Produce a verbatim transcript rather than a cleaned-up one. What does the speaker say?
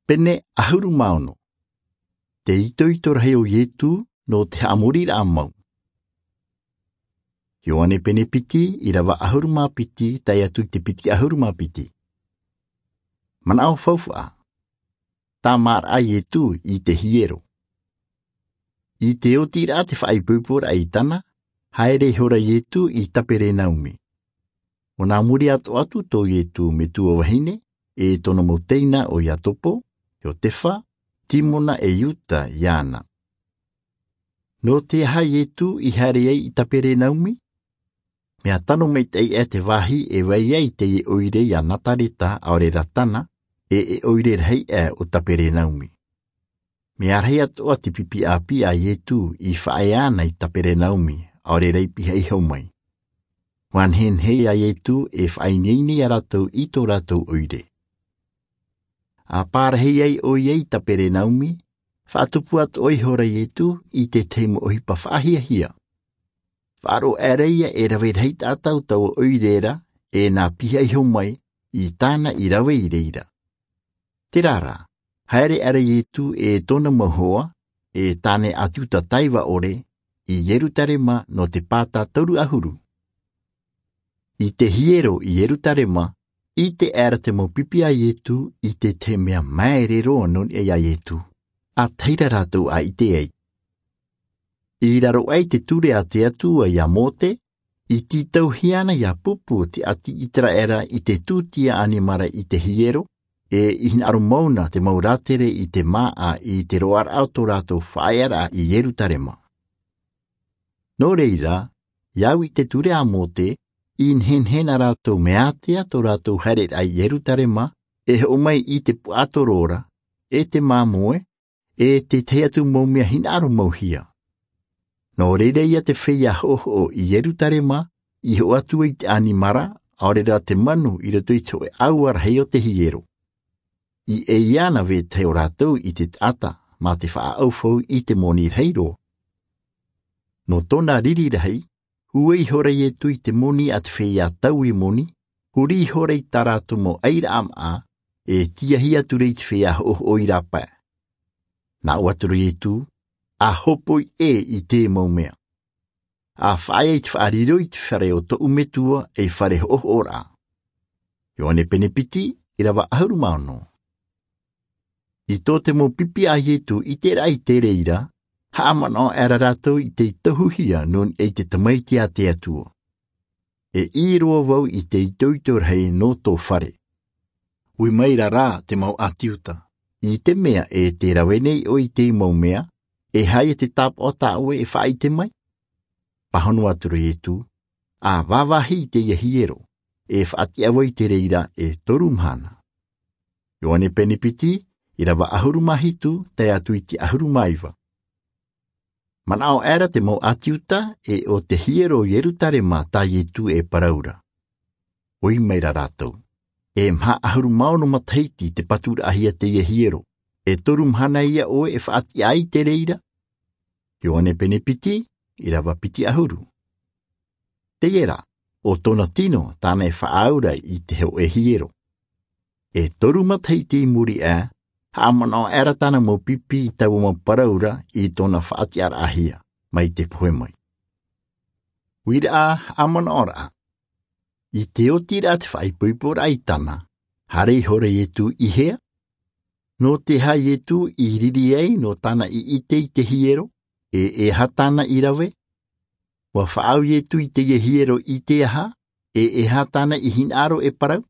Pene ʻahuru mā ono. Te itoito rahi o Ietu nō te haʻamoriraʻa mau. Ioane pene piti, irava ʻahuru mā piti tae atu i te piti ʻahuru mā piti. Manaʻo faufaʻa. Tāmāraʻa Ietu i te hiero. I te otiraʻa te faʻaipoiporaʻa i Tana, haere ihora Ietu i Taperenaumi. ʻO nā muri atoʻa atu tō Ietu metua vahine, e tōna mau teina ʻo Iakobo, Iotefa, Timona e Iuta iāna. Nō te aha Ietu i haere ai i Taperenaumi? Mea tano maitaʻi aʻe te vāhi e vai ai teie ʻoire iā Nazareta, ʻaore rā Tana, e e ʻoire rahi aʻe o Taperenaumi. Mea rahi atoʻa te pipi ʻāpī a Ietu i faʻaea ana i Taperenaumi, ʻaore rā i pihaʻi iho mai. ʻUa nehenehe a Ietu e faʻaineine iā rātou i tō rātou ʻoire. ʻA pārahi ai ʻoia i Taperenaumi, faʻatupu atoʻa ihora Ietu i te tahi mau ʻohipa faʻahiahia. Faʻaroʻo aʻera ia e rave rahi taʻata o taua ʻoire ra, e nā pihaʻi iho mai i tāna i rave i reira. Terā rā, haere aʻera Ietu e tōna mau hoa, e tāne ʻĀti Iuta taiva ʻore, i Ierutarema nō te pāta toru ʻahuru. I te hiero i Ierutarema, ʻite aʻera te mau pipi a Ietu i te tahi mea māere roa nō niʻa iā Ietu, ʻa tahi rā rātou ʻa ʻite ai. I raro aʻe i te ture a te Atua iā Mōte, i tītauhia ana iā pupu te ʻāti ʻĪteraʻera i te tūtia ʻanimara i te hiero, e i hinaʻaro mau na te mau rātere i te māʻa i te roaraʻa o tō rātou faʻaearaʻa i Ierutarema. Nō reira, i au i te ture a Mōte, i nehenehe na rātou mea ātea tō rātou haereraʻa i Ierutarema, e hoʻo mai i te puaʻatoro ra, e te māmoe, e te tahi atu mau mea hinaʻaro mau hia. Nō reira ia te feiā hoʻohoʻo i Ierutarema, i hoʻo atu ai te ʻanimara, ʻaore rā te manu i roto i te hōʻē ʻāua rahi o te hiero. I ʻeiā na vetahi o rātou i te taʻata, mā te faʻaʻaufau i te moni rahi roa. Nō tōna riri rahi, hū ihora Ietu i te moni a te feiā taui moni, huri ihora i tā rātou mau ʻairaʻa māʻa, e tīahi atu ra i te feiā hoʻohoʻo i rāpae. Nā ʻō atu ra Ietu, ʻa hōpoi ʻē i te mau mea. ʻA faʻaea i te faʻariro i te fare o tōʻu Metua ei fare hoʻohoʻoraʻa. Ioane pene piti, irava ʻahuru mā ono. I tō te mau pipi a Ietu i ʻiteraʻa i te reira, haʻamanaʻo aʻera rātou i tei tohuhia nō niʻa i te Tamaiti a te Atua. E ʻī roa vau i te itoito rahi nō tō fare. Ui maira rā te mau ʻĀti Iuta, i te mea e tē rave nei ʻoe i te mau mea, e aha ia te tāpaʻo tā ʻoe e faʻaʻite mai? Pāhono atu ra Ietu, ʻa vāvāhi i teie hiero, e faʻatiʻa vau i te reira e toru mahana. Ioane pene piti, irava ʻahuru mā hitu, tae atu i te ʻahuru mā iva. Manaʻo aʻera te mau ʻĀti Iuta e ʻo te hiero o Ierutarema tā Ietu e parau ra. Ui maira rātou, e maha ʻahuru mā ono matahiti te paturaʻahia teie hiero, e toru mahana ia ʻoe e faʻatiʻa ai te reira? Ioane pene piti, irava piti ʻahuru. Teie rā, ʻo tōna tino tāna e faʻaau ra i te hōʻē hiero. E toru matahiti i muri aʻe, haʻamanaʻo aʻera tāna mau pipi i taua mau parau ra i tōna faʻatiʻaraʻahia, mai te pohe mai. Uiraʻa, haʻamanaʻoraʻa. I te oti ra te faʻaipoiporaʻa i Tana, haere ihora Ietu i hea? Nō te aha Ietu i riri ai nō tāna i ʻite i te hiero, e e aha tāna i rave? ʻUa faʻaau Ietu i teie hiero i te aha, e e aha tāna i hinaʻaro e parau?